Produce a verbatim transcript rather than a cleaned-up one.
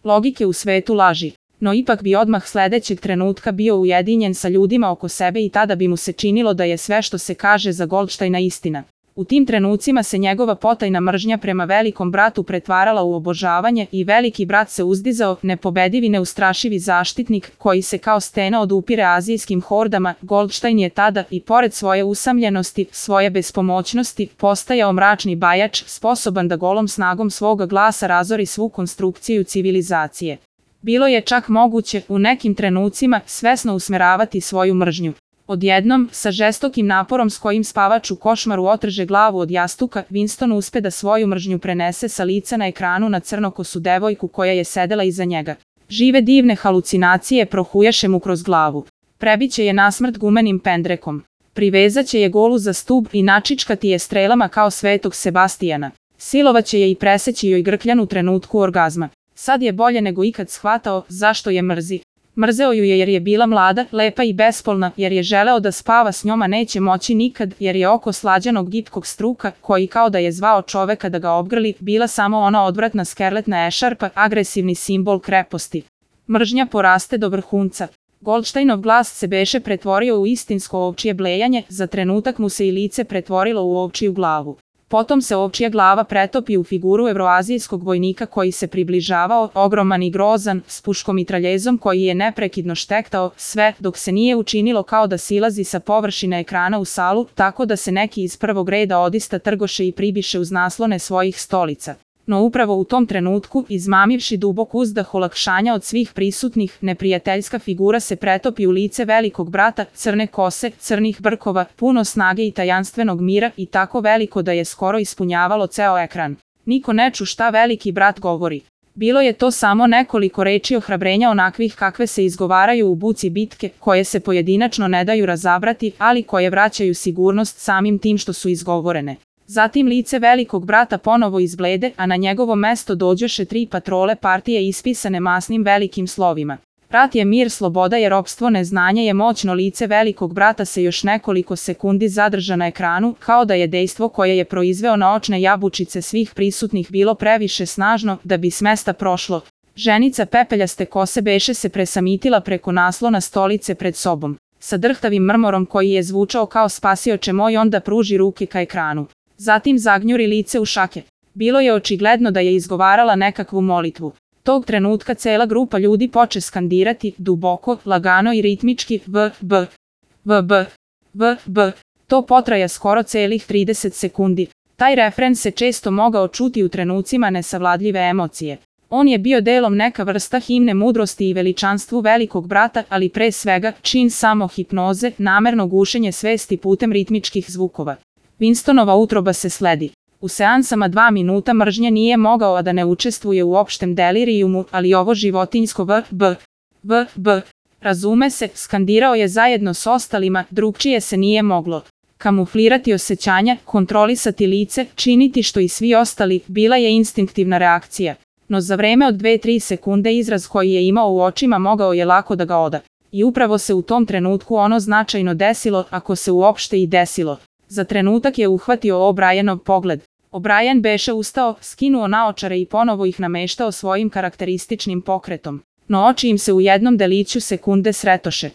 logike u svetu laži. No ipak bi odmah sledećeg trenutka bio ujedinjen sa ljudima oko sebe i tada bi mu se činilo da je sve što se kaže za Goldštajna istina. U tim trenucima se njegova potajna mržnja prema velikom bratu pretvarala u obožavanje i veliki brat se uzdizao, nepobedivi neustrašivi zaštitnik koji se kao stena odupire azijskim hordama. Goldštajn je tada, i pored svoje usamljenosti, svoje bespomoćnosti, postajao mračni bajač, sposoban da golom snagom svoga glasa razori svu konstrukciju civilizacije. Bilo je čak moguće, u nekim trenucima, svesno usmeravati svoju mržnju. Odjednom, sa žestokim naporom s kojim spavač u košmaru otrže glavu od jastuka, Winston uspe da svoju mržnju prenese sa lica na ekranu na crnokosu devojku koja je sedela iza njega. Žive divne halucinacije prohujaše mu kroz glavu. Prebiće je nasmrt gumenim pendrekom. Privezaće je golu za stub i načičkati je strelama kao svetog Sebastijana. Silovaće je i preseći joj grkljan u trenutku orgazma. Sad je bolje nego ikad shvatao zašto je mrzi. Mrzeo ju je jer je bila mlada, lepa i bespolna, jer je želeo da spava s njoma neće moći nikad, jer je oko slađanog gipkog struka, koji kao da je zvao čoveka da ga obgrli, bila samo ona odvratna skerletna ešarpa, agresivni simbol kreposti. Mržnja poraste do vrhunca. Goldštajnov glas se beše pretvorio u istinsko ovčje blejanje, za trenutak mu se i lice pretvorilo u ovčiju glavu. Potom se ovčija glava pretopi u figuru evroazijskog vojnika koji se približavao, ogroman i grozan, s puškomitraljezom koji je neprekidno štektao, sve dok se nije učinilo kao da silazi sa površine ekrana u salu, tako da se neki iz prvog reda odista trgoše i pribiše uz naslone svojih stolica. No upravo u tom trenutku, izmamivši dubok uzdah olakšanja od svih prisutnih, neprijateljska figura se pretopi u lice velikog brata, crne kose, crnih brkova, puno snage i tajanstvenog mira i tako veliko da je skoro ispunjavalo ceo ekran. Niko ne ču šta veliki brat govori. Bilo je to samo nekoliko reči ohrabrenja onakvih kakve se izgovaraju u buci bitke, koje se pojedinačno ne daju razabrati, ali koje vraćaju sigurnost samim tim što su izgovorene. Zatim lice velikog brata ponovo izblede, a na njegovo mesto dođoše tri patrole partije ispisane masnim velikim slovima. Rat je mir, sloboda je ropstvo, neznanje je moćno. Lice velikog brata se još nekoliko sekundi zadrža na ekranu, kao da je dejstvo koje je proizveo na očne jabučice svih prisutnih bilo previše snažno da bi s mesta prošlo. Ženica pepeljaste kose beše se presamitila preko naslona stolice pred sobom. Sa drhtavim mrmorom koji je zvučao kao spasioče moj onda pruži ruke ka ekranu. Zatim zagnjuri lice u šake. Bilo je očigledno da je izgovarala nekakvu molitvu. Tog trenutka cela grupa ljudi poče skandirati, duboko, lagano i ritmički, v, b, v, b, v, b. To potraja skoro celih trideset sekundi. Taj refren se često mogao čuti u trenucima nesavladljive emocije. On je bio delom neka vrsta himne mudrosti i veličanstvu velikog brata, ali pre svega, čin samo hipnoze, namerno gušenje svesti putem ritmičkih zvukova. Winstonova utroba se sledi. U seansama dva minuta mržnje nije mogao a da ne učestvuje u opštem delirijumu, ali ovo životinjsko v, b, v, b, razume se, skandirao je zajedno s ostalima, drugčije se nije moglo. Kamuflirati osjećanja, kontrolisati lice, činiti što i svi ostali, bila je instinktivna reakcija. No za vreme od dve do tri sekunde izraz koji je imao u očima mogao je lako da ga oda. I upravo se u tom trenutku ono značajno desilo, ako se uopšte i desilo. Za trenutak je uhvatio O'Brienov pogled. O'Brien beše ustao, skinuo naočare i ponovo ih nameštao svojim karakterističnim pokretom. No oči im se u jednom deliću sekunde sretoše.